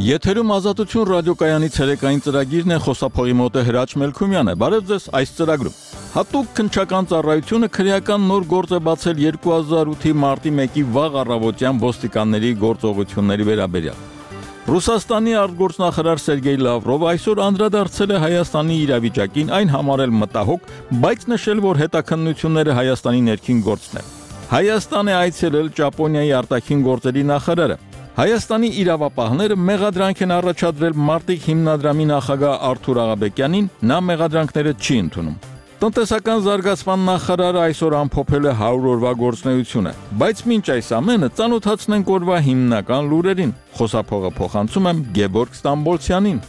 Եթերում Ազատություն ռադիոկայանի ցերեկային ծրագիրն է, խոսափողի մոտ է Հրաչ Մելքումյանը։ Բարև ձեզ այս ծրագրում։ Հատուկ քննչական ծառայությունը քրեական նոր գործ է բացել 2008-ի մարտի 1-ի վաղ առավոտյան ոստիկանների գործողությունների վերաբերյալ։ Ռուսաստանի արտգործնախարար Սերգեյ Լավրովը այսօր անդրադարձել է Հայաստանի իրավիճակին, այն համարել մտահոգ, բայց նշել, որ հետաքննությունները Հայաստանի ներքին գործն է։ Հայաստան է այցելել Ճապոնիայի արտաքին գործերի նախարարը։ Հայաստանի իրավապահները մեղադրանք են առաջադրել Մարտիկ հիմնադրամի նախագահ Արթուր Աղաբեկյանին, նա մեղադրանքները չի ընդունում։ Տնտեսական զարգացման նախարարը այսօր ամփոփել է 100 օրվա գործունեությունը, բայց մինչ այս ամենը ծանոթացնենք օրվա հիմնական լուրերին։ Խոսափողը փոխանցում եմ Գեբորգ Ստամբոլցյանին։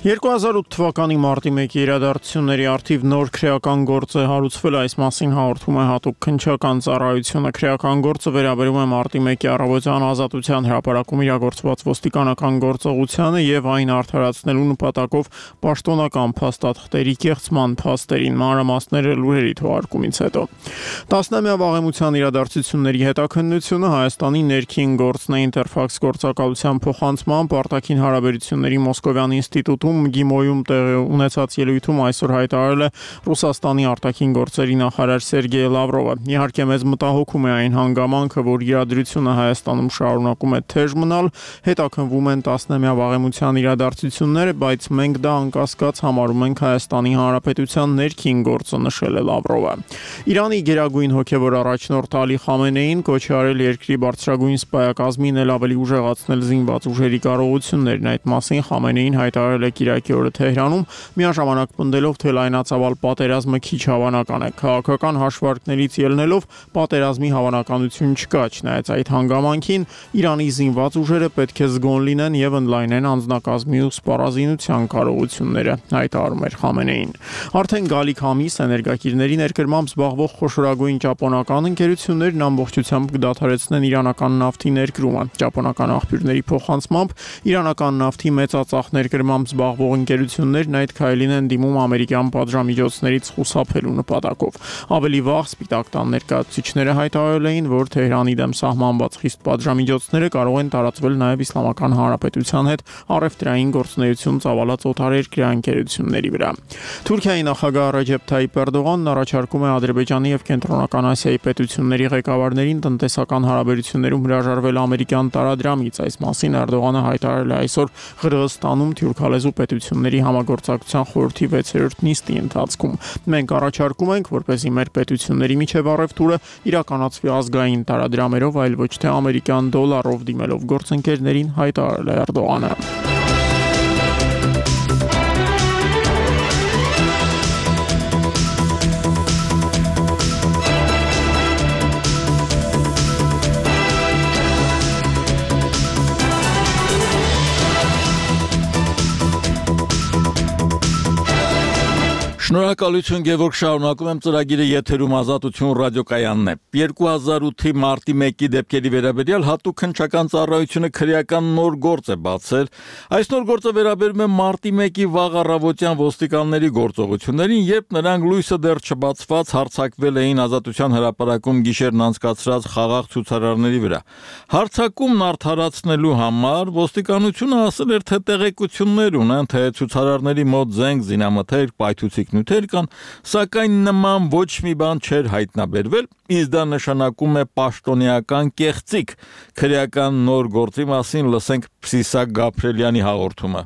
2008 թվականի մարտի 1-ի իրադարձությունների առթիվ նոր քրեական գործ է հարուցվել, այս մասին հաղորդում է հատուկ քննչական ծառայությունը։ Քրեական գործը վերաբերում է մարտի 1-ի առավոտյան Ազատության հրապարակում իրագործված ոստիկանական գործողությանը եւ այն արդարացնելու նպատակով պաշտոնական փաստաթղթերի կեղծման փաստերին, մանրամասները լուրերի թողարկումից հետո։ 10-ամյա վաղեմության իրադարձությունների հետաքննությունը Հայաստանի ներքին գործն է Ինտերֆաքս գործակալության փոխանցմամբ արտաքին հարաբերությունների Մոսկովյան ինստիտուտում Գիմոյում տեղի ունեցած ելույթում այսօր հայտարարել է Ռուսաստանի արտաքին գործերի նախարար Սերգեյ Լավրովը։ Իհարկե մեզ մտահոգում է այն հանգամանքը, որ իրադրությունը Հայաստանում շարունակում է թեժ մնալ, հետաքննվում են 10-ամյա վաղեմության իրադարձությունները, բայց մենք դա անկասկած համարում ենք Հայաստանի Հանրապետության ներքին գործը, նշել է Լավրովը։ Իրանի գերագույն հոգևոր առաջնորդ Ալի Խամենեին կոչ է արել երկրի բարձրագույն սպայակազմին էլ ավելի ուժեղացնել զինված ուժերի կարողություններն։ Այդ մասին Խամենեին հայտարարել է Կիրակի օրը Թեհրանում, միաժամանակ պնդելով, թե լայնածավալ պատերազմը քիչ հավանական է։ Քաղաքական հաշվարկներից ելնելով պատերազմի հավանականություն չկա, չնայած այդ հանգամանքին Իրանի զինված ուժերը պետք է զգոն լինեն եւ ընդլայնեն անձնակազմի ու սպառազինության կարողությունները, հայտարարում էր Խամենեին։ Արդեն գալիք ամիս էներգակիրների ներկրմամբ զբաղվող խոշորագույն ճապոնական ընկերություններն ամբողջությամբ կդադարեցնեն իրանական նավթի ներկրումը։ Ճապոնական աղբյուրների փոխանցմամբ իրանական նավթի մեծածախ ներկրմամբ զբաղվող ընկերություններն այդ քայլին են դիմում ամերիկյան պատժամիջոցներից խուսափելու նպատակով։ Ավելի վաղ Սպիտակ տան ներկայացուցիչները հայտարարել էին, որ Թեհրանի դեմ սահմանված խիստ պատժամիջոցները կարող են տարածվել նաև Իսլամական Հանրապետության հետ առևտրային գործունեություն ծավալած օտարերկրյա ընկերությունների վրա։ Թուրքիայի նախագահ Ռեջեփ Թայիփ Էրդողանն առաջարկում է Ադրբեջանի եւ Կենտրոնական Ասիայի պետությունների ղեկավարներին տնտեսական հարաբերություններում հրաժարվել ամերիկյան տարադրամից։ Այս մասին Էրդողանը հայտարարել է այսօր Ղրղըզստանում թուրքալեզու պետությունների համագործակցության խորհրդի 6-րդ նիստի ընթացքում։ Մենք առաջարկում ենք, որպեսզի մեր պետությունների միջև առևտուրը իրականացվի ազգային տարադրամերով, այլ ոչ թե ամերիկյան դոլարով դիմելով գործընկերներին, հայտարարել է Էրդողանը։ Շնորհակալություն Գևորգ, շարունակում եմ ծրագիրը եթերում Ազատություն ռադիոկայանն է։ 2008-ի մարտի 1-ի դեպքերի վերաբերյալ հատուկ քննչական ծառայությունը քրեական նոր գործ է բացել։ Այս նոր գործը վերաբերում է մարտի 1-ի վաղ առավոտյան ոստիկանների գործողություններին, երբ նրանք լույսը դեռ չբացված հարձակվել էին Ազատության հրապարակում գիշերն անցկացրած խաղաղ ցուցարարների վրա։ Հարձակումն արդարացնելու համար ոստիկանությունը ասել էր, թե տեղեկություններ ունեն, թե ցուցարարների մոտ զենք, զինամթերք, պայթուցիկ նյութեր կան, սակայն նման ոչ մի բան չէր հայտնաբերվել, իսկ դա նշանակում է պաշտոնեական կեղծիք։ Քրեական նոր գործի մասին լսենք Պսիսակ Գաբրելյանի հաղորդումը։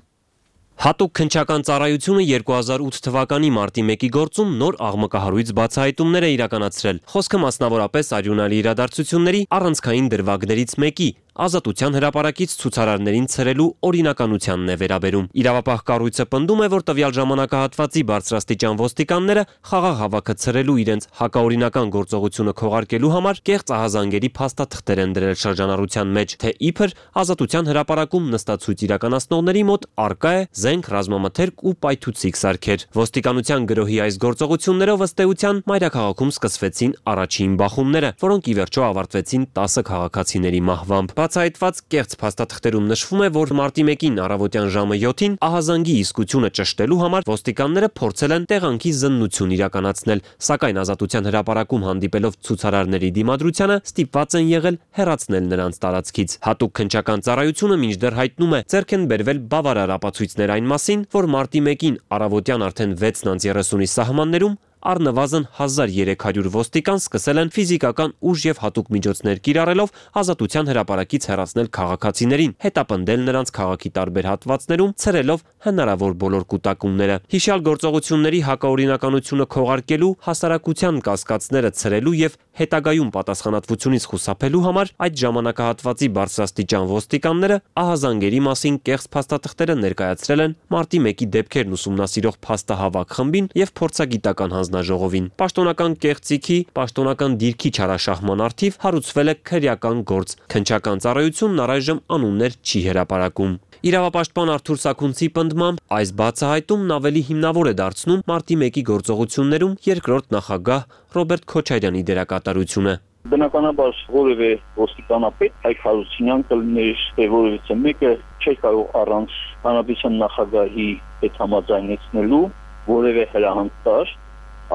Հատուկ քննչական ծառայությունը 2008 թվականի մարտի 1-ի գործում նոր աղմկահարույց բացահայտումներ է իրականացրել։ Խոսքը մասնավորապես արյունալի իրադարձությունների առանցքային դրվագներից մեկի Ազատության հրապարակից ցուցարարներին ցրելու օրինականությանն է վերաբերում։ Իրավապահ կառույցը պնդում է, որ տվյալ ժամանակահատվածի բարձրաստիճան ոստիկանները խաղաղ հավաքը ցրելու իրենց հակաօրինական գործողությունը քողարկելու համար կեղծ ահազանգերի փաստաթղթեր են դրել շրջանառության մեջ, թե իբր Ազատության հրապարակում նստացույց իրականացնողների մոտ արկա է զենք, ռազմամթերք ու պայթուցիկ սարքեր։ Ոստիկանության գրոհի այս գործողություններով ըստ էության մայրաքաղաքում սկսվեցին առաջին բախումները, որոնք ի վերջո ավարտվեցին 10 քաղաքացիների մահվամբ։ Բացահայտված կեղծ փաստաթղթերում նշվում է, որ մարտի 1-ին առավոտյան ժամը 7-ին ահազանգի իսկությունը ճշտելու համար ոստիկանները փորձել են տեղանքի զննություն իրականացնել, սակայն Ազատության հրապարակում հանդիպելով ցուցարարների դիմադրությանը ստիպված են եղել հեռացնել նրանց տարածքից։ Հատուկ քննչական ծառայությունը մինչդեռ հայտնում է, ձեռք են բերվել բավարար ապացույցներ այն մասին, որ մարտի 1-ին առավոտյան արդեն 6:30-ի սահմաններում առնվազն 1300 ոստիկան սկսել են ֆիզիկական ուժ եւ հատուկ միջոցներ կիրառելով Ազատության հրապարակից հեռացնել քաղաքացիներին, հետապնդել նրանց քաղաքի տարբեր հատվածներում, ցրելով հնարավոր բոլոր կուտակումները։ Հիշյալ գործողությունների հակաօրինականությունը քողարկելու, հասարակության կասկածները ցրելու եւ հետագայում պատասխանատվությունից խուսափելու համար այդ ժամանակահատվածի բարձրաստիճան ոստիկանները ահազանգերի մասին կեղծ փաստաթղթերը ներկայացրել են մարտի 1-ի դեպքերն ուսումնասիրող փաստահավաք խմբին եւ փորձագիտական հանձնաժողովին։ Պաշտոնական կեղծիքի, պաշտոնական դիրքի չարաշահման առթիվ հարուցվել է քրեական գործ։ Քննչական ծառայությունն առայժմ անուններ չի հրապարակում։ Իրավապաշտպան Արթուր Սաքունցի պնդմամբ այս բացահայտումն ավելի հիմնավոր է դարձնում մարտի 1-ի գործողություններում երկրորդ նախագահ Ռոբերտ Քոչարյանի դերակատարությունը։ Բնականաբար որևէ ոստիկանապետ Հայկ Հարությունյան կլիներ, թե որևէ մեկը չի կարող առանց հանրապետության նախագահի հետ համաձայնեցնելու որևէ հրահանգ տալ,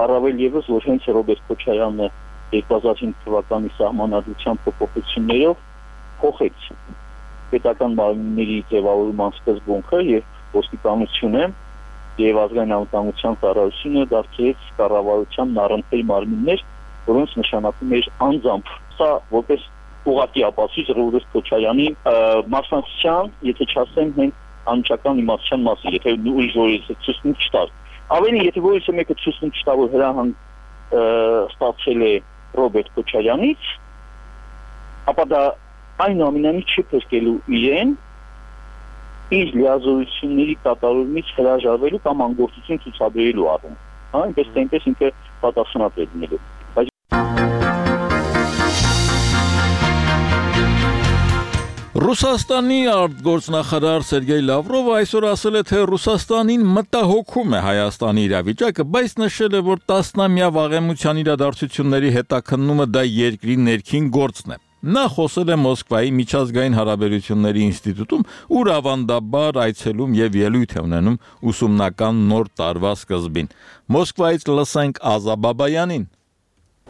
առավել եւս որ հենց Ռոբերտ Քոչարյանը 2005 թվականի սահմանադրության փոփոխություններով փոխեց պետական մարմինների ձևավորման սկզբունքը եւ ոստիկանությունը եւ ազգային անվտանգության ծառայությունը դարձրեց կառավարության առընթեր մարմիններ, որոնց նշանակում էր անձամբ։ Սա որպես ուղղակի ապացույց Ռոբերտ Քոչարյանի մասնակցության, եթե չասեմ, հենց անմիջական իմացության մասին, եթե ուրիշ որից ցույց չտար։ Ավելի եթե որից մեկը ցույց չտա, որ հրահանգ ստացել է Ռոբերտ Քոչարյանից, ապա դա այնուամենայնիվ չի փրկելու իրեն իր լիազորությունների կատարումից հրաժարվելու կամ անգործություն ցուցաբերելու առումով։ Այնպես թե այնպես ինքը պատասխանատու է լինելու։ Ռուսաստանի արտգործնախարար Սերգեյ Լավրովը այսօր ասել է, թե Ռուսաստանին մտահոգում է Հայաստանի իրավիճակը, բայց նշել է, որ տասնամյա վաղեմության իրադարձությունների հետաքննումը դա երկրի ներքին գործն է։ Նա խոսել է Մոսկվայի միջազգային հարաբերությունների ինստիտուտում, ուր ավանդաբար այցելում եւ ելույթ է ունենում ուսումնական նոր տարվա սկզբին։ Մոսկվայից լսենք Ազա Բաբայանին։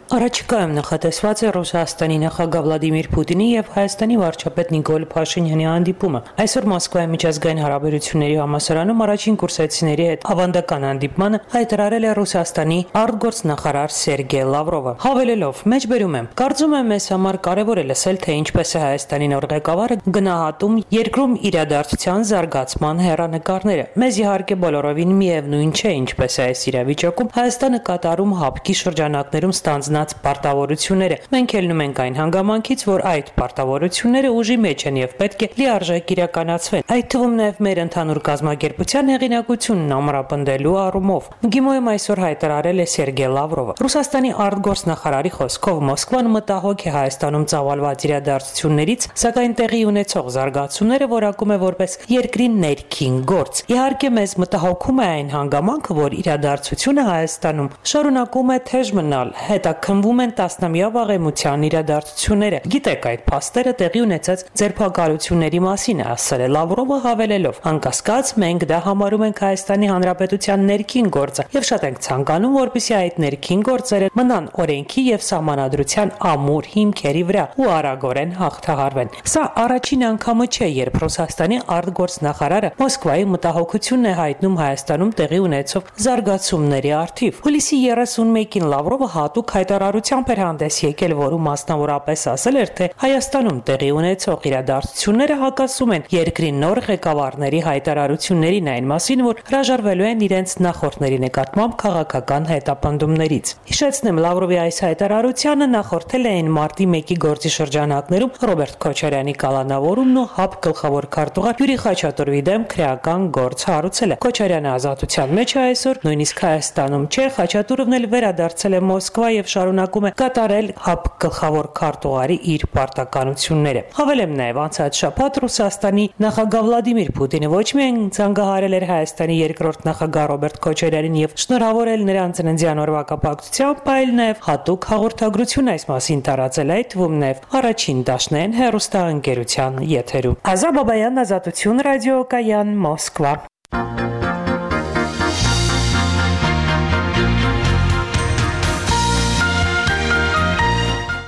Առաջիկայում նախատեսված է Ռուսաստանի նախագահ Վլադիմիր Պուտինի եւ Հայաստանի վարչապետ Նիկոլ Փաշինյանի հանդիպումը։ Այսօր Մոսկվայի միջազգային հարաբերությունների համալսարանում առաջին կուրսեցիների հետ ավանդական հանդիպմանը հայտարարել է Ռուսաստանի արտգործնախարար Սերգեյ Լավրովը։ Հավելելով. «Մեջբերում եմ, կարծում եմ մեզ համար կարևոր է լսել, թե ինչպես է Հայաստանի նոր ղեկավարը գնահատում երկրում իրադարձության զարգացման հեռանկարները։ Մեզ իհարկե բոլորովին միևնույն չէ, ինչպես է այս իրավիճակում Հայաստանը կատարում հապկի շրջանակներում ստանձնած պարտավորությունները։ Մենք ելնում ենք այն հանգամանքից, որ այդ պարտավորությունները ուժի մեջ են եւ պետք է լիարժեք իրականացվեն։ Այդ թվում նաեւ մեր ընդհանուր կազմակերպության հեղինակությունն ամրապնդելու առումով»։ ՄԳԻՄՈ-ում այսօր հայտարարել է Սերգեյ Լավրովը։ Ռուսաստանի արտգործնախարարի խոսքով Մոսկվան մտահոգ է Հայաստանում ծավալված իրադարձություններից, սակայն տեղի ունեցող զարգացումները որակում է որպես երկրի ներքին գործ։ Իհարկե մեզ մտահոգում է այն հանգամանքը, որ իրադարձությունը Հայաստանում շարունակում է թեժ մնալ, հետաքննվում են տասնամյա վաղեմության իրադարձությունները։ Գիտեք, այդ փաստերը տեղի ունեցած ձերբակալությունների մասին է ասել է Լավրովը, հավելելով. «Անկասկած մենք դա համարում ենք Հայաստանի Հանրապետության ներքին գործը եւ շատ ենք ցանկանում, որպեսզի այդ ներքին գործերը մնան օրենքի եւ սահմանադրության ամուր հիմքերի վրա ու արագորեն հաղթահարվեն»։ Սա առաջին անգամը չէ, երբ Ռուսաստանի արտգործնախարարը Մոսկվայի մտահոգությունն է հայտնում Հայաստանում տեղի ունեցող զարգացումների առթիվ։ Հուլիսի 31-ին Լավրովը հատուկ հայտարարությամբ էր հանդես եկել, որում մասնավորապես ասել էր, թե Հայաստանում տեղի ունեցող իրադարձությունները հակասում են երկրի նոր ղեկավարների հայտարարություններին այն մասին, որ հրաժարվելու են իրենց նախորդների նկատմամբ քաղաքական հետապնդումներից։ Հիշեցնեմ, Լավրովի այս հայտարարությանը նախորդել էին մարտի 1-ի գործի շրջանակներում Ռոբերտ Քոչարյանի կալանավորումն ու ՀԱՊ գլխավոր քարտուղար Յուրի Խաչատուրովի դեմ քրեական գործ հարուցելը։ Քոչարյանը ազատության մեջ է այսօր, նույնիսկ Հայաստանում չէ, Խաչատուրովն էլ վերադարձել է Մոսկվա եւ շարունակում է կատարել ՀԱՊ գլխավոր քարտուղարի իր պարտականությունները։ Հավելեմ նաև անցած շաբաթ Ռուսաստանի նախագահ Վլադիմիր Պուտինը ոչ միայն ցանկահարել էր Հայաստանի երկրորդ նախագահ Ռոբերտ Քոչարյանին եւ շնորհավորել նրան ծննդյան օրվա կապակցությամբ, այլ նաև հատուկ հաղորդագրություն այս մասին տարածել, այդ թվում նաև առաջին դաշնային հեռուստաընկերության եթերում։ Ազա Բաբայան, Ազատություն ռադիոկայան, Մոսկվա։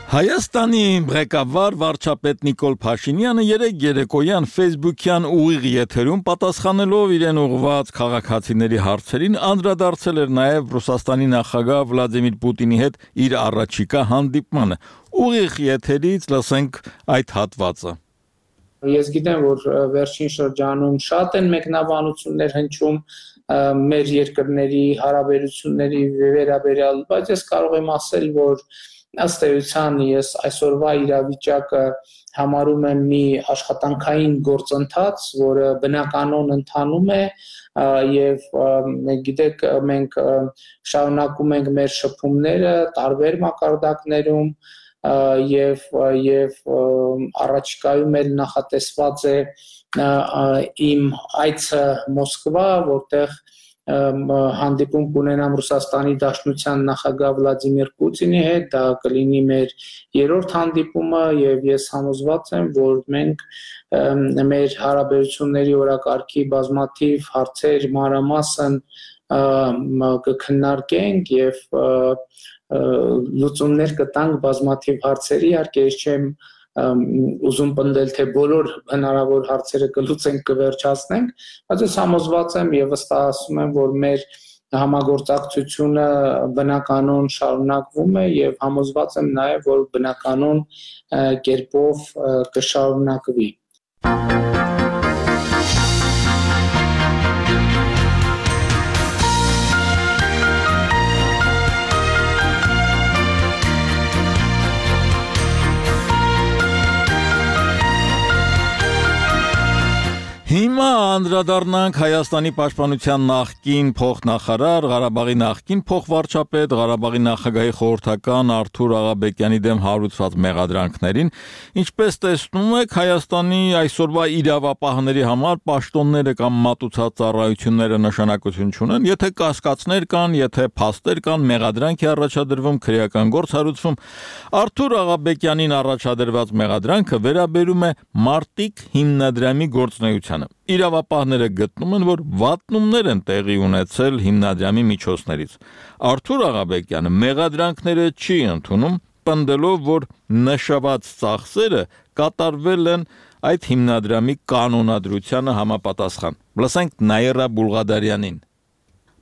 Հայաստանի ղեկավար վարչապետ Նիկոլ Փաշինյանը երեկ երեկոյան Facebook-յան ուղիղ եթերում պատասխանելով իրեն ուղղված քաղաքացիների հարցերին անդրադարձել էր նաև Ռուսաստանի նախագահ Վլադիմիր Պուտինի հետ իր առաջիկա հանդիպմանը։ Ուղիղ եթերից լսենք այդ հատվածը։ Ես գիտեմ, որ վերջին շրջանում շատ են մեկնաբանություններ հնչում մեր երկրների հարաբերությունների վերաբերյալ, բայց ես կարող եմ ասել, որ ըստ էության ես այսօրվա իրավիճակը համարում եմ մի աշխատանքային գործընթաց, որը բնականon ընթանում է եւ գիտեք մենք շարունակում ենք մեր շփումները տարբեր մակարդակներում եւ առաջիկայում էլ նախատեսված է իմ այցը Մոսկվա, որտեղ հանդիպում կունենամ Ռուսաստանի Դաշնության նախագահ Վլադիմիր Պուտինի հետ, դա կլինի մեր երրորդ հանդիպումը եւ ես համոզված եմ, որ մենք մեր հարաբերությունների օրակարգի բազմաթիվ հարցեր մանրամասն կքննարկենք եւ լուծումներ կտանք բազմաթիվ հարցերի, իհարկե ես չեմ ուզում պնդել, թե բոլոր հնարավոր հարցերը կլուծենք, կվերջացնենք, բայց ես համոզված եմ եւ վստահում եմ, որ մեր համագործակցությունը բնականon շարունակվում է եւ համոզված եմ նաեւ, որ բնականon կերպով կշարունակվի։ Հիմա անդրադառնանք Հայաստանի պաշտպանության նախկին փոխնախարար, Ղարաբաղի նախկին փոխվարչապետ, Ղարաբաղի նախագահի խորհրդական Արթուր Աղաբեկյանի դեմ հարուցված մեղադրանքներին։ Ինչպես տեսնում եք, Հայաստանի այսօրվա իրավապահների համար պաշտոնները կամ մատուցած ծառայությունները նշանակություն չունեն, եթե կասկածներ կան, եթե փաստեր կան, մեղադրանք է առաջադրվում, քրեական գործ հարուցվում։ Արթուր Աղաբեկյանին առաջադրված մեղադրանքը վերաբերում է Մարտիկ հիմնադրամի գործունեությանը։ Իրավապահները գտնում են, որ վատնումներ են տեղի ունեցել հիմնադրամի միջոցներից։ Արթուր Աղաբեկյանը մեղադրանքները չի ընդունում, պնդելով, որ նշված ծախսերը կատարվել են այդ հիմնադրամի կանոնադրությանը համապատասխան։ Լսենք Նաիրա Բուլղադարյանին։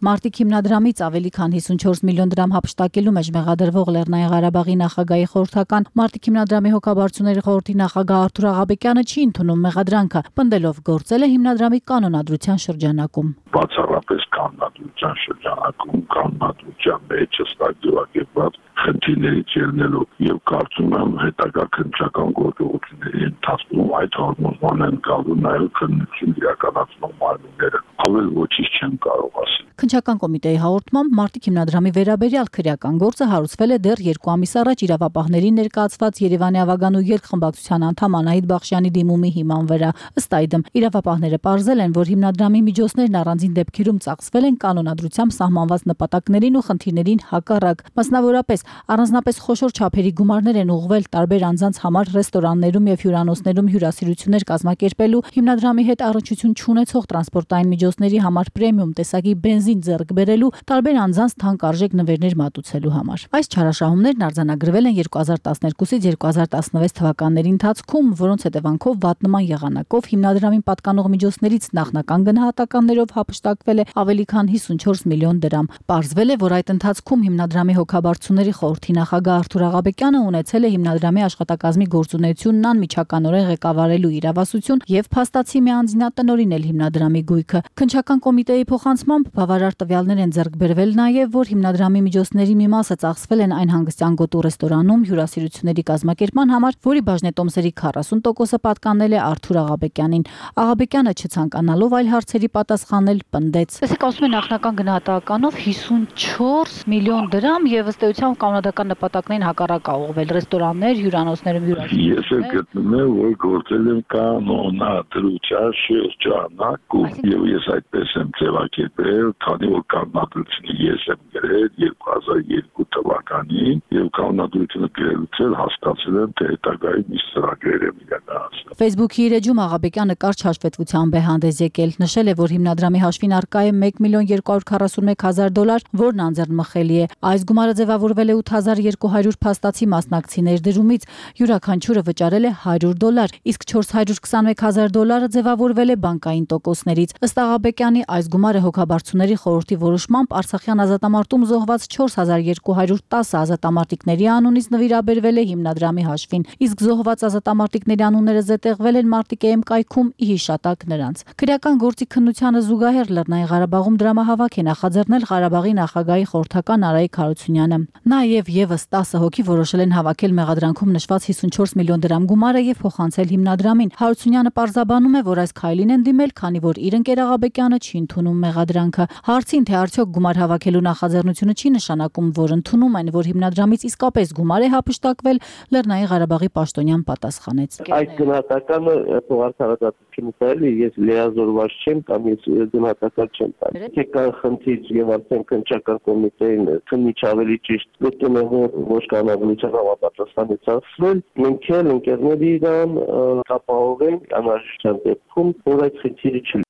Մարտիկ հիմնադրամից ավելի քան 54 միլիոն դրամ հափշտակելու մեջ մեղադրվող Լեռնային Ղարաբաղի նախագահի խորհրդական Մարտիկ հիմնադրամի հոգաբարձուների խորհրդի նախագահ Արթուր Աղաբեկյանը չի ընդունում մեղադրանքը, պնդելով գործել է հիմնադրամի կանոնադրության շրջանակում։ Բացառապես կանոնադրության շրջանակում, կանոնադրության մեջ ստակյուակերպված խնդիրներից ելնելով եւ կարծում եմ հետագա քննչական գործողությունների ընթացքում այդ հարմոզման են գալու նաեւ քննություն իրականացնող մարմինները։ Ավել ոչինչ չեմ կարող ասել։ Քննչական կոմիտեի հաղորդմամբ Մարտիկ հիմնադրամի վերաբերյալ քրեական գործը հարուցվել է դեռ 2 ամիս առաջ իրավապահներին ներկայացված Երևանի ավագանու երկխմբակցության անդամ Անահիտ Բախշյանի դիմումի հիման վրա։ Ըստ այդմ, իրավապահները պարզել են, որ հիմնադրամի միջոցներն առանձին դեպքերում ծախսվել են կանոնադրությամբ սահմանված նպատակներին ու խնդիրներին հակառակ։ Մասնավորապես, առանձնապես խոշոր չափերի գումարներ են ուղղվել տարբեր անձանց համար ռեստորաններում եւ հյուրանոցներում հյուրասիրություններ կազմակերպելու, հիմնադրամի հետ առնչություն չունեցող տրանսպորտային միջոցների համար պրեմիում տեսակի բենզին ձեռք բերելու, տարբեր անձանց թանկարժեք նվերներ մատուցելու համար։ Այս չարաշահումներն արձանագրվել են 2012-ից 2016 թվականների ընթացքում, որոնց հետևանքով վատնման եղանակով հիմնադրամին պատկանող միջոցներից նախնական գնահատականներով հափշտակվել է ավելի քան 54 միլիոն դրամ։ Պարզվել է, որ այդ ընթացքում հիմնադրամի հոգաբարձուների խորհրդի նախագահ Արթուր Աղաբեկյանը ունեցել է հիմնադրամի աշխատակազմի գործունեությունն անմիջականորեն ղեկավարելու իրավասություն եւ փաստացի մի անձինատնօրինել հիմնադրամի գույքը։ Քննչական կոմիտեի փոխանցմամբ բավարար տվյալներ են ձեռք բերվել նաև, որ հիմնադրամի միջոցների մի մասը ծախսվել են այն հանգստյան գոտու ռեստորանում հյուրասիրությունների կազմակերպման համար, որի բաժնետոմսերի 40%-ը պատկանել է Արթուր Աղաբեկյանին։ Աղաբեկյանը չցանկանալով այլ հարցերի պատասխանել պնդեց. Տեսեք, ասում են նախնական գնահատականով 54 միլիոն դրամ եւ ըստ էության կանոնական նպատակներին հակառակ ուղղվել ռեստորաններ, հյուրանոցներում հյուրասիրություններ։ Ես գտնում եմ, որ գործել եմ կանոնադրության շրջանակ եւ ես այդպես եմ ձևակերպել, քանի որ կանոնադրությունը ես եմ գրել 2002 թվականին եւ կանոնադրությունը գրելուց էլ հասկացել եմ, թե հետագայում ինչ ծրագրեր եմ իրականացնել։ Facebook-ի իր էջում Աղաբեկյանը կարճ հաշվետվությամբ է հանդես եկել, նշել է, որ հիմնադրամի հաշվին առկա է $1,241,000, որն անձեռնմխելի է։ Այս գումարը ձևավորվել է 8200 փաստացի մասնակցիներ դրումից, յուրաքանչյուրը վճարել է $100, իսկ $421,000 ձևավորվել է բանկային տոկոսներից։ Ըստ Աղաբեկյանի, այս գումարը հոգաբարձուների խորհրդի որոշմամբ Արցախյան ազատամարտում զոհված 4210 ազատամարտիկների անունից նվիրաբերվել է հիմնադրամի հաշվին, իսկ զոհված ազատամարտիկների անունները զետեղվել են Մարտիկեեմ կայքում ի հիշատակ նրանց։ Քրեական գործի քննությանը զուգահեռ Լեռնային Ղարաբաղում դրամահավաք է նախաձեռնել Ղարաբաղի նախագահի խորհրդական Արայիկ Հարությունյանը։ Նաև եւս 10 հոգի որոշել են հավաքել մեղադրանքում նշված 54 միլիոն դրամ գումարը եւ փոխանցել հիմնադրամին։ Հարությունյանը պարզաբանում է, որ այս քայլին են դիմել, քանի որ իր ընկեր Աղաբեկյանը չի ընդունում մեղադրանքը։ Հարցին, թե արդյոք գումար հավաքելու նախաձեռնությունը չի նշանակում, որ ընդունում են, որ հիմնադրամից իսկապես գումար է հափշտակվել, Լեռնային Ղարաբաղի պաշտոնյան պատասխանեց. Այդ գնահատականը փոխարդարացությունից այլ ես լիազորված չեմ կամ ես գնահատական չեմ տալիս։ Քեկան խնդիր եւ արդեն քննչական կոմիտեին քննիչ ավելի ճիշտ գտնում է, որ ոչ կանոնադրության համապատասխանի ծախսվել, մենք էլ ընկերների իրան կապահովենք անհրաժեշտության դեպքում, որ այդ խնդիրը չի։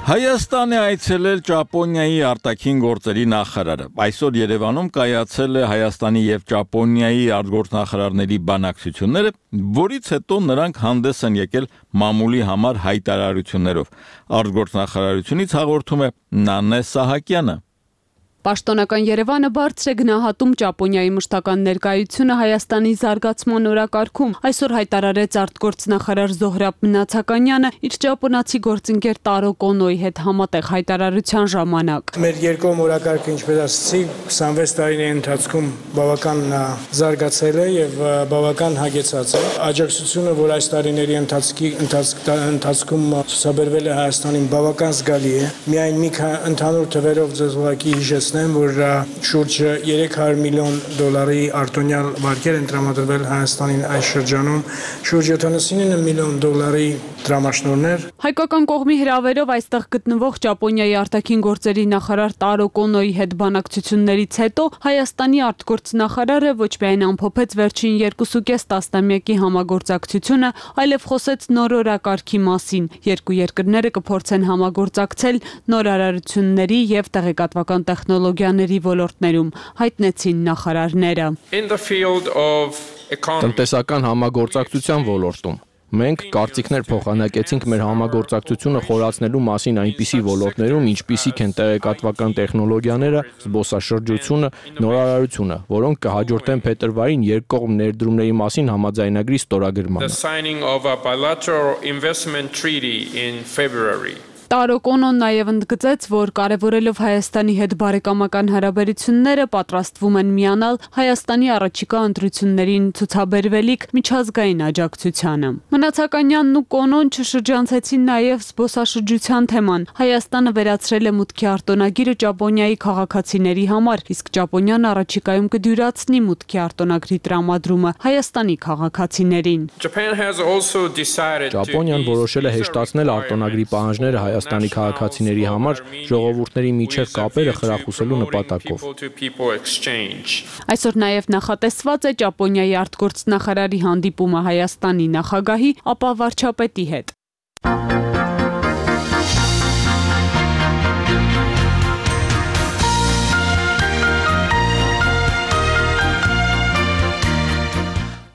Հայաստան է այցելել Ճապոնիայի արտաքին գործերի նախարարը։ Այսօր Երևանում կայացել է Հայաստանի եւ Ճապոնիայի արտգործնախարարների բանակցությունները, որից հետո նրանք հանդես են եկել մամուլի համար հայտարարություններով։ Արտգործնախարարությունից հաղորդում է Նանե Սահակյանը։ Պաշտոնական Երևանը բարձր է գնահատում Ճապոնիայի մշտական ներկայությունը Հայաստանի զարգացման օրակարգում։ Այսօր հայտարարեց արտգործնախարար Զոհրաբ Մնացականյանը իր ճապոնացի գործընկեր Տարո Կոնոյի հետ համատեղ հայտարարության ժամանակ։ Մեր երկկողմ օրակարգը, ինչպես ասացի, 26 տարիների ընթացքում բավական զարգացել է եւ բավական հագեցած է։ Աջակցությունը, որ այս տարիների ընթացքում ցուցաբերվել է Հայաստանին, բավական զգալի է։ Միայն մի ընդհանուր թվերով ձեզ ուղղակի հիշեցնեմ, որ շուրջ $300 միլիոն արտոնյալ վարկեր են տրամադրվել Հայաստանին այս շրջանում, շուրջ $79 միլիոն դրամաշնորհներ։ Հայկական կողմի հրավերով այստեղ գտնվող Ճապոնիայի արտաքին գործերի նախարար Տարո Կոնոյի հետ բանակցություններից հետո Հայաստանի արտգործնախարարը ոչ միայն ամփոփեց վերջին 2.5 տասնամյակի համագործակցությունը, այլև խոսեց նոր օրակարգի մասին։ Երկու երկրները կփորձեն համագործակցել նոր արարությունների եւ տեղեկատվական տեխնոլոգիաների ոլորտներում, հայտնեցին նախարարները։ Տնտեսական համագործակցության ոլորտում մենք կարծիքներ փոխանակեցինք մեր համագործակցությունը խորացնելու մասին այնպիսի ոլորտներում, ինչպիսիք են տեղեկատվական տեխնոլոգիաները, զբոսաշրջությունը, նորարարությունը, որոնք կհաջորդեն փետրվարին երկկողմ ներդրումների մասին համաձայնագրի ստորագրմանը։ Տարո Կոնոն նաև ընդգծեց, որ կարևորելով Հայաստանի հետ բարեկամական հարաբերությունները պատրաստվում են միանալ Հայաստանի առաջիկա ընտրություններին ցուցաբերվելիք միջազգային աջակցությանը։ Մնացականյանն ու Կոնոն չշրջանցեցին նաև զբոսաշրջության թեման։ Հայաստանը վերացրել է մուտքի արտոնագիրը Ճապոնիայի քաղաքացիների համար, իսկ Ճապոնիան առաջիկայում կդյուրացնի մուտքի արտոնագրի տրամադրումը Հայաստանի քաղաքացիներին։ Ճապոնիան որոշել է հեշտացնել արտոնագրի պահանջները Հայաստանի քաղաքացիների համար ժողովուրդների միջև կապերը խրախուսելու նպատակով։ Այսօր նաև նախատեսված է Ճապոնիայի արտգործնախարարի հանդիպումը Հայաստանի նախագահի, ապա վարչապետի հետ։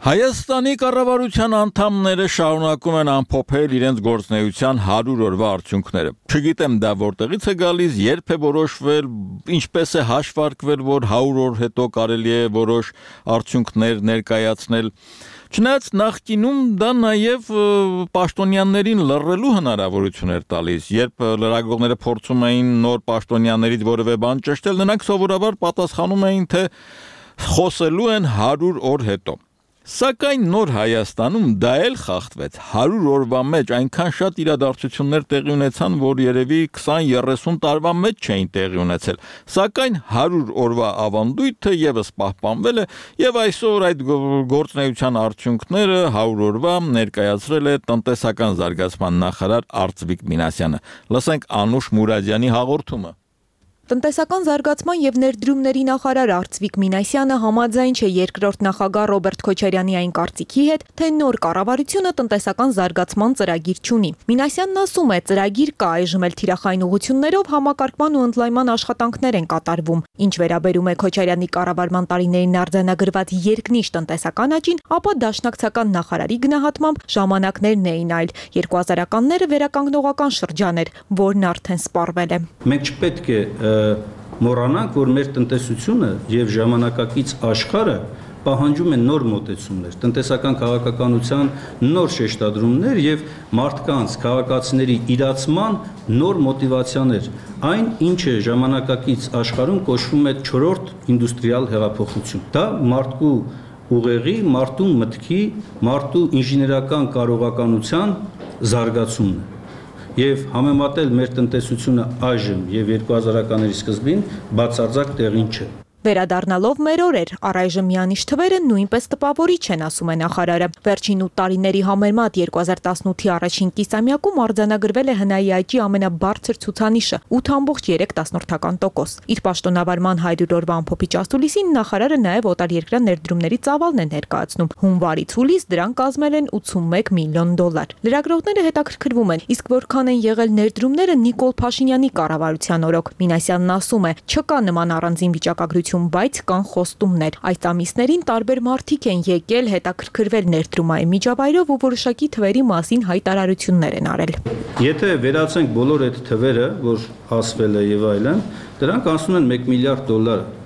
Հայաստանի կառավարության անդամները շարունակում են ամփոփել իրենց գործունեության 100 օրվա արդյունքները։ Չգիտեմ դա որտեղից է գալիս, երբ է որոշվել, ինչպես է հաշվարկվել, որ 100 օր հետո կարելի է որոշ արդյունքներ ներկայացնել։ Չնայած նախկինում դա նաև պաշտոնյաներին լռելու հնարավորություն էր տալիս, երբ լրագրողները փորձում էին նոր պաշտոնյաներից որևէ բան ճշտել, նրանք սովորաբար պատասխանում էին, թե խոսելու են 100 օր հետո։ Սակայն նոր Հայաստանում դա էլ խախտվեց 100 օրվա մեջ այնքան շատ իրադարձություններ տեղի ունեցան, որ երևի 20-30 տարվա մեջ չէին տեղի ունեցել։ Սակայն 100 օրվա ավանդույթը եւս պահպանվել է եւ այսօր այդ գործունեության արդյունքները 100 օրվա ներկայացրել է տնտեսական զարգացման նախարար Արծվիկ Մինասյանը։ Լսենք Անուշ Մուրադյանի հաղորդումը։ Տնտեսական զարգացման եւ ներդրումների նախարար Արծվիկ Մինասյանը համաձայն չէ երկրորդ նախագահ Ռոբերտ Քոչարյանի այն կարծիքի հետ, թե նոր կառավարությունը տնտեսական զարգացման ծրագիր չունի։ Մինասյանն ասում է, ծրագիր կա, այժմ էլ թիրախային ուղղություններով համակարգման ու ընդլայնման աշխատանքներ են կատարվում։ Ինչ վերաբերում է Քոչարյանի կառավարման տարիներին արձանագրված երկնիշ տնտեսական աճին, ապա դաշնակցական նախարարի գնահատմամբ ժամանակներն էին այլ։ 2000-ականները վերականգնողական շրջան էր, որն արդեն սպառվել է։ Մենք չպետք է մոռանանք, որ մեր տնտեսությունը եւ ժամանակակից աշխարհը պահանջում են նոր մոտեցումներ, տնտեսական քաղաքականության նոր շեշտադրումներ եւ մարդկանց, քաղաքացիների իրացման նոր մոտիվացիաներ, այն ինչը ժամանակակից աշխարհում կոչվում է 4-րդ ինդուստրիալ հեղափոխություն։ Դա մարդու ուղեղի, մարդու մտքի, մարդու ինժեներական կարողականության զարգացումն է։ Եվ համեմատել մեր տնտեսությունը այժմ եւ 2000-ականների սկզբին բացարձակ տեղին չէ։ Վերադառնալով մեր օրեր, առայժմ միանիշ թվերը նույնպես տպավորիչ են, ասում է նախարարը։ Վերջին 8 տարիների համեմատ 2018-ի առաջին կիսամյակում արձանագրվել է ՀՆԱ-ի աճի ամենաբարձր ցուցանիշը 8.2%։ Իր պաշտոնավարման 100 օրվա ամփոփիչ ասուլիսին նախարարը նաև օտարերկրյա ներդրումների ծավալն է ներկայացնում։ Հունվարից հուլիս դրան կազմել են $81 միլիոն։ Լրագրողները հետաքրքրվում են, իսկ որքան են եղել ներդրումները Նիկոլ Փաշինյանի կառավարության օրոք։ Մինասյանն ասում է, չկա նման առանձին վիճակագրություն, բայց կան խոստումներ։ Այս ամիսներին տարբեր մարդիկ են եկել հետաքրքրվել ներդրումային միջավայրով ու որոշակի թվերի մասին հայտարարություններ են արել։ Եթե վերացենք բոլոր այդ թվերը, որ ասվել է եւ այլն, դրանք անցնում են $1 միլիարդ,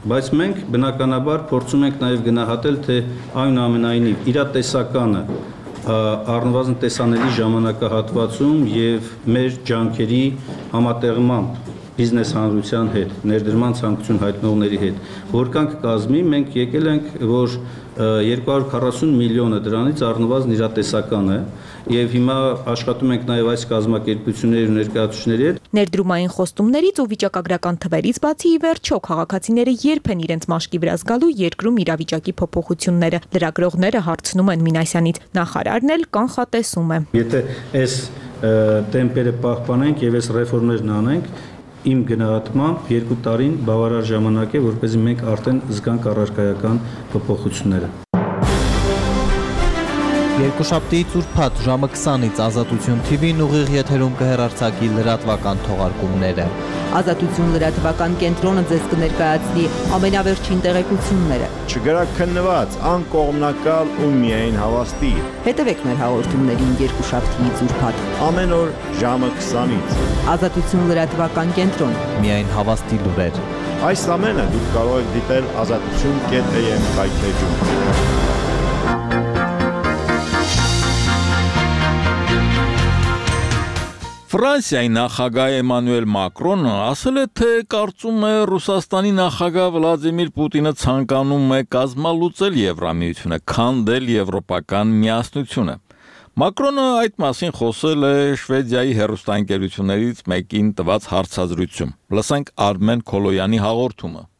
բայց մենք բնականաբար փորձում ենք նաեւ գնահատել, թե այնուամենայնիվ իրատեսականը առնվազն տեսանելի ժամանակահատվածում եւ մեր ջանքերի համատեղմամբ բիզնես հանրության հետ, ներդրման ցանկություն հայտնողների հետ, որքան կկազմի, մենք եկել ենք, որ 240 միլիոնը դրանից առնվազն իրատեսական է, եւ հիմա աշխատում ենք նաեւ այս կազմակերպությունների ու ներկայացուցիչների հետ։ Ներդրումային խոստումներից ու վիճակագրական թվերից բացի ի վերջո քաղաքացիները երբ են իրենց մաշկի վրա զգալու երկրում իրավիճակի փոփոխությունները։ Լրագրողները հարցնում են Մինասյանից, նախարարն էլ կանխատեսում է։ Եթե այս տեմպերը պահպանենք եւ այս ռեֆորմներն անենք, իմ գնահատմամբ 2 տարին բավարար ժամանակ է, որպեսզի մենք արդեն զգանք առարկայական փոփոխությունները։ Երկուշաբթիից ուրբաթ ժամը 20-ից Ազատություն TV-ն ուղիղ եթերում կհեռարձակի լրատվական թողարկումները։ Ազատություն լրատվական կենտրոնը ձեզ կներկայացնի ամենավերջին տեղեկությունները։ Չգրաքննված, անկողմնակալ ու միայն հավաստի։ Հետևեք մեր հաղորդումներին երկուշաբթիից ուրբաթ ամեն օր ժամը 20-ից։ Ազատություն լրատվական կենտրոն։ Միայն հավաստի լուրեր։ Այս ամենը դուք կարող եք դիտել azatutun.am կայքեջում։ Ֆրանսիայի նախագահ Էմանուել Մակրոնը ասել է, թե կարծում է Ռուսաստանի նախագահ Վլադիմիր Պուտինը ցանկանում է կազմալուծել Եվրամիությունը, քանդել եվրոպական միասնությունը։ Մակրոնը այդ մասին խոսել է Շվեդիայի հեռուստաընկերություններից մեկին տված հարցազրույցում։ Լսենք Արմեն Քոլոյանի հաղորդումը։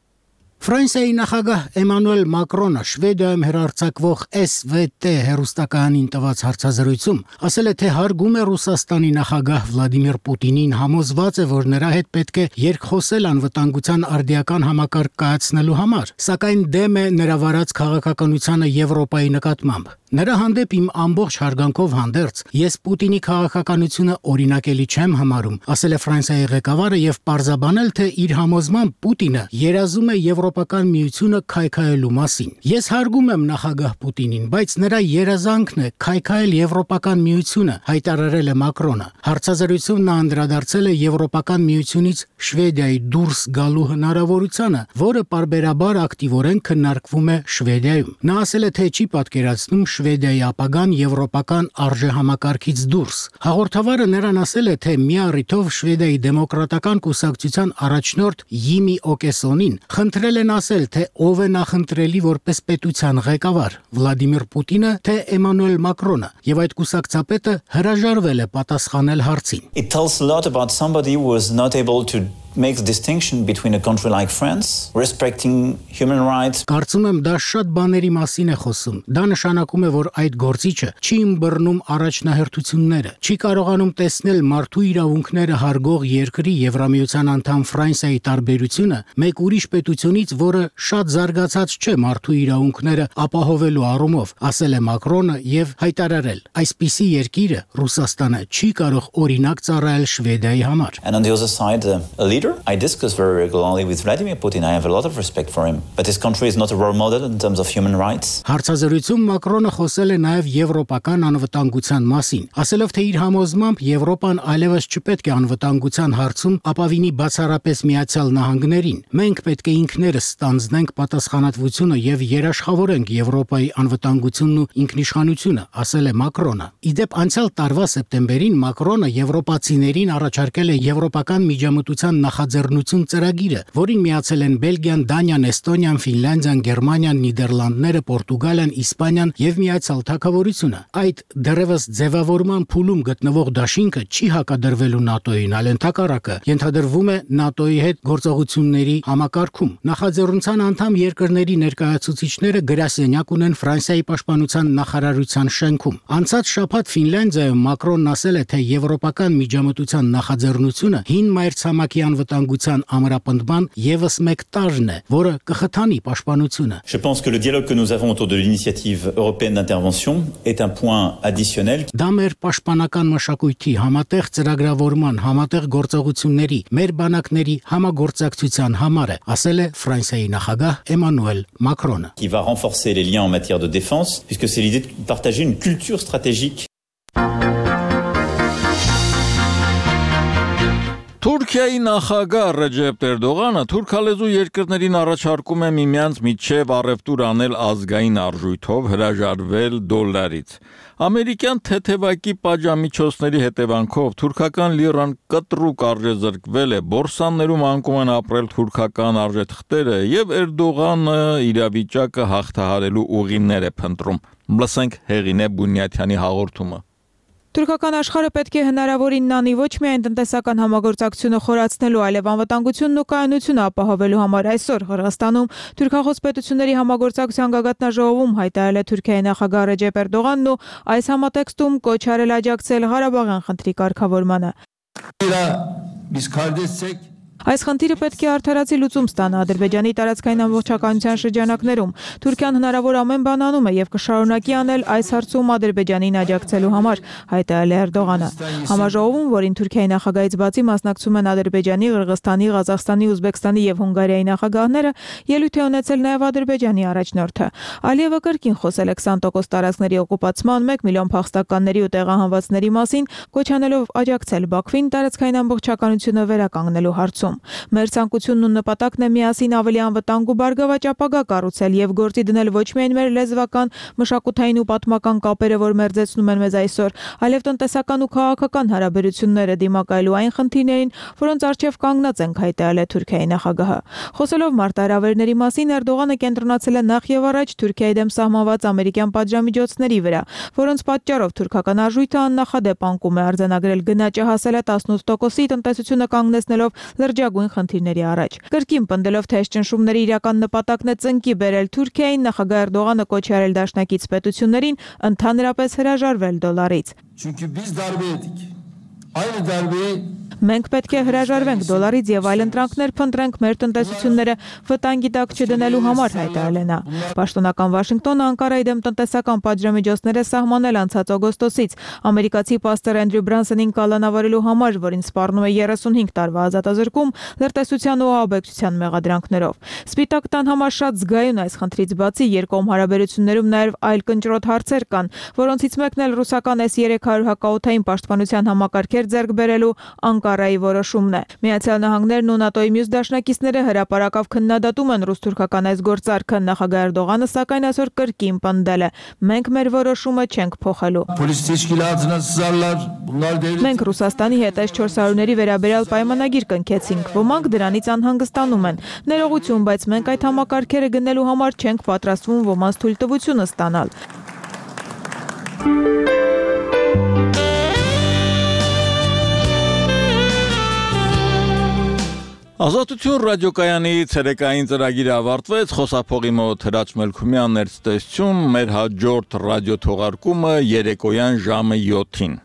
Ֆրանսիայի նախագահ Էմանուել Մակրոնը Շվեդիայում հեռարձակվող SVT հեռուստականին տված հարցազրույցում ասել է, թե հարգում է Ռուսաստանի նախագահ Վլադիմիր Պուտինին, համոզված է, որ նրա հետ պետք է երկխոսել անվտանգության արդիական համակարգ կայացնելու համար, սակայն դեմ է նրա վարած քաղաքականությանը Եվրոպայի նկատմամբ։ Նրա հանդեպ իմ ամբողջ հարգանքով հանդերձ ես Պուտինի քաղաքականությունը օրինակելի չեմ համարում, ասել է Ֆրանսիայի ղեկավարը եւ պարզաբանել, թե իր համոզմամբ Պուտինը երազում է Եվրոպական միությունը քայքայելու մասին։ Ես հարգում եմ նախագահ Պուտինին, բայց նրա երազանքն է քայքայել Եվրոպական միությունը, հայտարարել է Մակրոնը։ Հարցազրույցում նա անդրադարձել է Եվրոպական միությունից Շվեդիայի դուրս գալու հնարավորությանը, որը պարբերաբար ակտիվորեն քննարկվում է Շվեդիայում։ Նա ասել է, թե չի պատկերացնում Շվեդիայի ապագան եվրոպական արժեհամակարգից դուրս։ Հաղորդավարը նրան ասել է, թե մի առիթով Շվեդիայի դեմոկրատական կուսակցության առաջնորդ Յիմի Օկեսոնին խնդրել են ասել, թե ով է նախընտրելի որպես պետության ղեկավար՝ Վլադիմիր Պուտինը, թե Էմանուել Մակրոնը, եւ այդ կուսակցապետը հրաժարվել է պատասխանել հարցին։ It tells a lot about somebody who was not able to make the distinction between a country like France, respecting human rights. Կարծում եմ դա շատ բաների մասին է խոսում։ Դա նշանակում է, որ այդ գործիչը չի ըմբռնում առաջնահերթությունները, չի կարողանում տեսնել մարդու իրավունքները հարգող երկրի Եվրամիության անդամ Ֆրանսիայի տարբերությունը մեկ ուրիշ պետությունից, որը շատ զարգացած չէ մարդու իրավունքները ապահովելու առումով, ասել է Մակրոնը եւ հայտարարել. այսպիսի երկիրը Ռուսաստանը չի կարող օրինակ ծառայել Շվեդիայի համար։ And on the other side, a leader I discuss very regularly with Vladimir Putin. I have a lot of respect for him, but his country is not a role model in terms of human rights. Հարցազրույցում Մակրոնը խոսել է նաև եվրոպական անվտանգության մասին, ասելով, թե իր համոզմամբ Եվրոպան այլևս չպետք է անվտանգության հարցում ապավինի բացառապես Միացյալ Նահանգներին։ Մենք պետք է ինքներս ստանձնենք պատասխանատվությունը եւ երաշխավորենք Եվրոպայի անվտանգությունն ու ինքնիշխանությունը, ասել է Մակրոնը։ Իդեպ անցյալ տարվա սեպտեմբերին Մակրոնը եվրոպացիներին առաջարկել է եվրոպական միջամտության նախաձեռնություն ծրագիրը, որին միացել են Բելգիան, Դանիան, Էստոնիան, Ֆինլանդիան, Գերմանիան, Նիդերլանդները, Պորտուգալիան, Իսպանիան եւ Միացյալ Թագավորությունը։ Այդ դեռևս ձևավորման փուլում գտնվող դաշինքը չի հակադրվելու ՆԱՏՕ-ին, այլ ընդհակառակը ենթադրվում է ՆԱՏՕ-ի հետ գործողությունների համակարգում։ Նախաձեռնության անդամ երկրների ներկայացուցիչները գրասենյակ ունեն Ֆրանսիայի պաշտպանության նախարարության շենքում։ Անցած շաբաթ Ֆինլանդիայում Մակրոնն ասել է, թե եվրոպական միջամտության նախաձեռնությունը հին մայրցամաքի անվտանգության ամրապնդման եւս մեկ տարրն է, որը կխթանի պաշտպանությունը։ Je pense que le dialogue que nous avons autour de l'initiative européenne d'intervention est un point additionnel. Դա մեր պաշտպանական մշակույթի համատեղ ծրագրավորման, համատեղ գործողությունների, մեր բանակների համագործակցության համար է, ասել է Ֆրանսիայի նախագահ Էմանուել Մակրոնը։ Qui va renforcer les liens en matière de défense, puisque c'est l'idée de partager une culture stratégique. Թուրքիայի նախագահ Ռեջեփ Էրդողանը թուրքալեզու երկրներին առաջարկում է միմյանց միջև առևտուր անել ազգային արժույթով հրաժարվել դոլարից։ Ամերիկյան թեթևակի պատժամիջոցների հետևանքով թուրքական լիրան կտրուկ արժեզրկվել է, բորսաներում անկում են ապրել թուրքական արժեթղթերը եւ Էրդողանը իրավիճակը հաղթահարելու ուղիներ է փնտրում։ Լսենք Հեղինե Բունյաթյանի հաղորդումը։ Թուրքական աշխարհը պետք է հնարավորինն անի ոչ միայն տնտեսական համագործակցությունը խորացնելու, այլև անվտանգությունն ու կայունությունը ապահովելու համար։ Այսօր Ղրղստանում թուրքախոս պետությունների համագործակցության գագաթնաժողովում հայտարարել է Թուրքիայի նախագահ Ռեջեփ Էրդողանն ու այս համատեքստում կոչ արել աջակցել Ղարաբաղյան խնդրի կարգավորմանը։ Այս խնդիրը պետք է արդարացի լուծում ստանա Ադրբեջանի տարածքային ամբողջականության շրջանակներում։ Թուրքիան հնարավոր ամեն բան անում է եւ կշարունակի անել այս հարցում Ադրբեջանին աջակցելու համար, հայտարարել է Էրդողանը։ Համաժողովում, որին Թուրքիայի նախագահից բացի մասնակցում են Ադրբեջանի, Ղրղստանի, Ղազախստանի, Ուզբեկստանի եւ Հունգարիայի նախագահները, ելույթ է ունեցել նաեւ Ադրբեջանի առաջնորդը։ Ալիևը կրկին խոսել է 20% տարածքների օկուպացման, 1 միլիոն փախստականների ու տեղահանվածների մասին, կոչ անելով աջակցել Բաքվին տարածքային ամբողջականությունը վերականգնելու հարցում։ Մեր ցանկությունն ու նպատակն է միասին ավելի անվտանգ ու բարգավաճ ապագա կառուցել եւ գործի դնել ոչ միայն մեր լեզվական, մշակութային ու պատմական կապերը, որ մերձեցնում են մեզ այսօր, այլև տնտեսական ու քաղաքական հարաբերությունները դիմակայելու այն խնդիրներին, որոնց առջև կանգնած ենք, հայտարարել է Թուրքիայի նախագահը։ Խոսելով մարտահրավերների մասին, Էրդողանը կենտրոնացել է նախ եւ առաջ Թուրքիայի դեմ սահմանված ամերիկյան պատժամիջոցների վրա, որոնց պատճառով թուրքական արժույթը աննախադեպ անկում է արձանագրել, գնաճը հասել է 18%-ի, տնտեսությունը կանգնեցնելով լրջագույն խնդիրների առաջ։ Կրկին պնդելով, թե այս ճնշումների իրական նպատակն է ծնկի բերել Թուրքիային, նախագահ Էրդողանը կոչ արել դաշնակից պետություններին ընդհանրապես հրաժարվել դոլարից։ Մենք պետք է հրաժարվենք դոլարից եւ այլ ընտրանքներ փնտրենք մեր տնտեսությունները վտանգի տակ չդնելու համար, հայտարարել է նա։ Պաշտոնական Վաշինգտոնը Անկարայի դեմ տնտեսական պատժամիջոցներ է սահմանել անցած օգոստոսից։ Ամերիկացի պաստոր Էնդրյու Բրանսոնին կալանավորելու համար, որին սպառնում է 35 տարվա ազատազրկում լրտեսության ու ահաբեկչության մեղադրանքներով։ Սպիտակ տան համար շատ զգայուն այս խնդրից բացի երկկողմ հարաբերություններում նաև այլ կնճռոտ հարցեր կան, որոնցից մեկն էլ ռուսական S-300 հակաօդային պաշտպանության համակարգեր ձեռք բերելու Անկարայի որոշումն է։ Միացյալ Նահանգներն ու ՆԱՏՕ-ի մյուս դաշնակիցները հրապարակավ քննադատում են ռուս-թուրքական այս գործարքը, նախագահ Էրդողանը սակայն այսօր կրկին պնդել է. մենք մեր որոշումը չենք փոխելու։ Մենք Ռուսաստանի հետ այս 400-ների վերաբերյալ պայմանագիր կնքեցինք, ոմանք դրանից անհանգստանում են։ Ներողություն, բայց մենք այդ համակարգերը գնելու համար չենք պատրաստվում ոմանց թույլտվությունը ստանալ։ Ազատություն ռադիոկայանի ցերեկային ծրագիրը ավարտվեց, խոսափողի մոտ Հրաչ Մելքումյանն էր ցտեսություն, մեր հաջորդ ռադիո թողարկումը երեկոյան ժամը 7-ին։